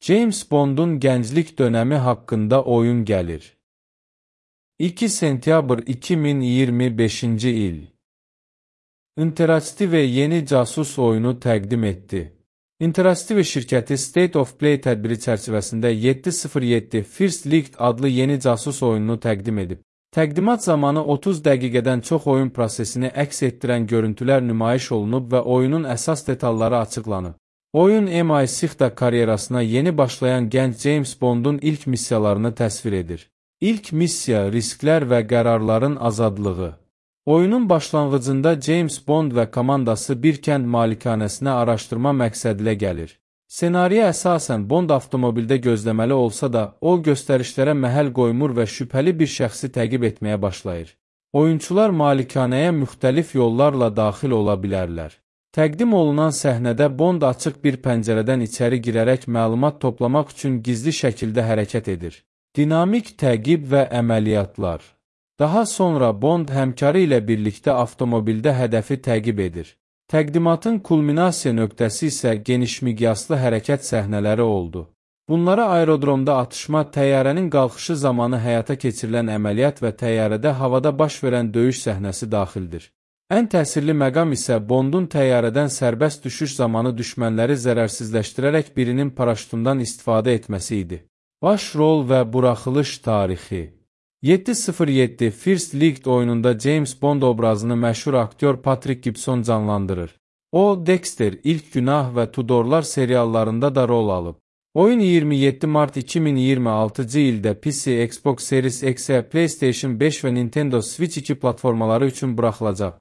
James Bond'un gənclik dönəmi haqqında oyun gəlir. 2 sentyabr 2025-ci il. Interactive yeni casus oyunu təqdim etdi. Interactive şirkəti State of Play tədbiri çərçivəsində 707 First League adlı yeni casus oyununu təqdim edib. Təqdimat zamanı 30 dəqiqədən çox oyun prosesini əks etdirən görüntülər nümayiş olunub və oyunun əsas detalları açıqlanıb. Oyun MI6 karyerasına yeni başlayan gənc James Bond'un ilk missiyalarını təsvir edir. İlk missiya risklər və qərarların azadlığı. Oyunun başlanğıcında James Bond və komandası bir kənd malikanəsinə araşdırma məqsədilə gəlir. Senariyə əsasən Bond avtomobildə gözləməli olsa da, o göstərişlərə məhəl qoymur və şübhəli bir şəxsi təqib etməyə başlayır. Oyunçular malikanəyə müxtəlif yollarla daxil ola bilərlər. Təqdim olunan səhnədə Bond açıq bir pəncərədən içəri girərək məlumat toplamaq üçün gizli şəkildə hərəkət edir. Dinamik təqib və əməliyyatlar. Daha sonra Bond həmkarı ilə birlikdə avtomobildə hədəfi təqib edir. Təqdimatın kulminasiya nöqtəsi isə genişmiqyaslı hərəkət səhnələri oldu. Bunlara aerodromda atışma, təyyarənin qalxışı zamanı həyata keçirilən əməliyyat və təyyarədə havada baş verən döyüş səhnəsi daxildir. Ən təsirli məqam isə Bondun təyyarədən sərbəst düşüş zamanı düşmənləri zərərsizləşdirərək birinin paraşütündən istifadə etməsi idi. Baş rol və buraxılış tarixi. 707 First League oyununda James Bond obrazını məşhur aktyor Patrick Gibson canlandırır. O, Dexter, İlk Günah və Tudorlar seriallarında da rol alıb. Oyun 27 mart 2026-cı ildə PC, Xbox Series X, PlayStation 5 və Nintendo Switch 2 platformaları üçün buraxılacaq.